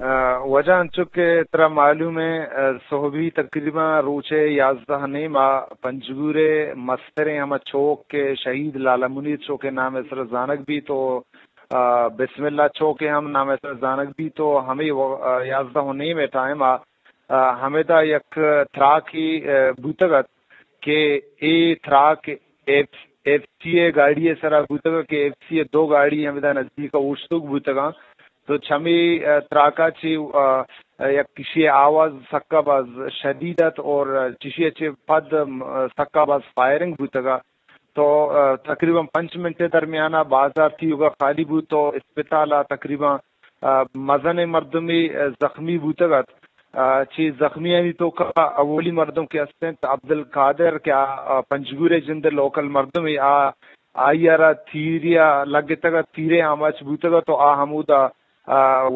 واجہ انچو کہ ترا معلوم ہے، سہبی تقریباً روچے یازدہ نیم آ پنجگور ءِ مستریں ہما چوک کہ شہید لالا منیر چوک ءِ نام ءِ سر زانگ بیت و بسم اللہ چوک ءِ ہم نام ءِ سر زانگ بیت و ہمے یازدہ و نیم ءِ ٹائم آ ہمیدا یک تراکے بوتگ ات کہ اے تراک ایف ایف سی ءِ گاڑی ءِ سرا بوتگ کہ ایف سی ءِ دو گاڑی ہمیدا نزدیک ءَ اوشتوک بوتگاں۔ تو چمی تراکا چی یک کشی آواز سکا باز شدید ات اور چشی چی پد سکا باز فائرنگ بوتگا۔ تو تقریباً پنچ منٹ درمیانا بازار تیوگا خالی بوت تو اسپتالا تقریباً مزن مردمی زخمی بوتگ ات۔ چی زخمیانی توکا اولی مردم کہ است انت عبدالقادر کہ آ پنجگور ءِ جند لوکل مردمے، آ آئی ءَ را تیرے ءَ لگتگ ات، تیرے آماچ بوتگ ات و آ ہمودا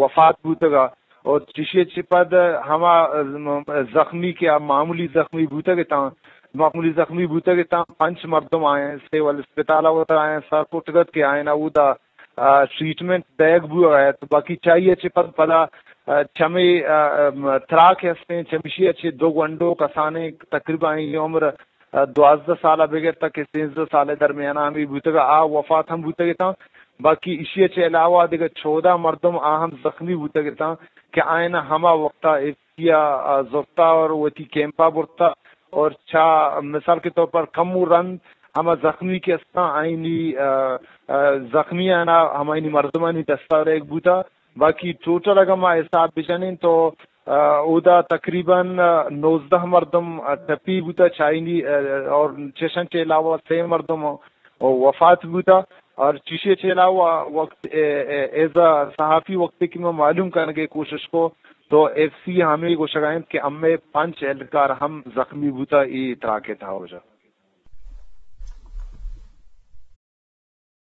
وفات بوتگ ات۔ اور چشی چی پد ہما زخمی کہ آ معمولی زخمی بوتگ اتاں، معمولی زخمی بوتگ اتاں، پنچ مردم آئیں سول اسپتال ءَ وتر آئیں سر کٹگ ات کہ آئین اودا ٹریٹمنٹ دیگ بوگ ءَ ات۔ باقی چائی ءَ چہ پد پدا چمے تراک ہستیں، چمشی ءَ چہ دو گونڈو کسانیں تقریباً آئی عمر دوازدہ سال ءَ بگر تک سیزدہ سال ءِ درمیان ءَ ہمے بوتگ ءَ آ وفات ہم بوتگ اتاں۔ باقی ایشی ءَ چہ علاوہ دگہ چودہ مردم آ ہم زخمی بوتگ اتاں کہ آئین ہما وقت ءَ ایف سی ءَ زرتا اور وتی کیمپ ءَ برتا اور چا مثال کے طور پر کمو رند ہما زخمی کہ استاں آئینی زخمی آنا ہمائنی مردمانی دستا ریگ بوتا۔ باقی ٹوٹل اگاں ما حساب بجنیں تو اودا تقریباً نوزدہ مردم ٹپی بوتا چائنی اور چشن کے علاوہ سے مردم وفات بوتا۔ اور چیشے کے علاوہ وقت ایز اے صحافی وقت کی میں معلوم کرنے کی کوشش کو تو ایف سی ہمیں گوشگائیں کہ ہمیں پنچ اہلکار ہم زخمی بوتا ای تراکے تھا ہو جا۔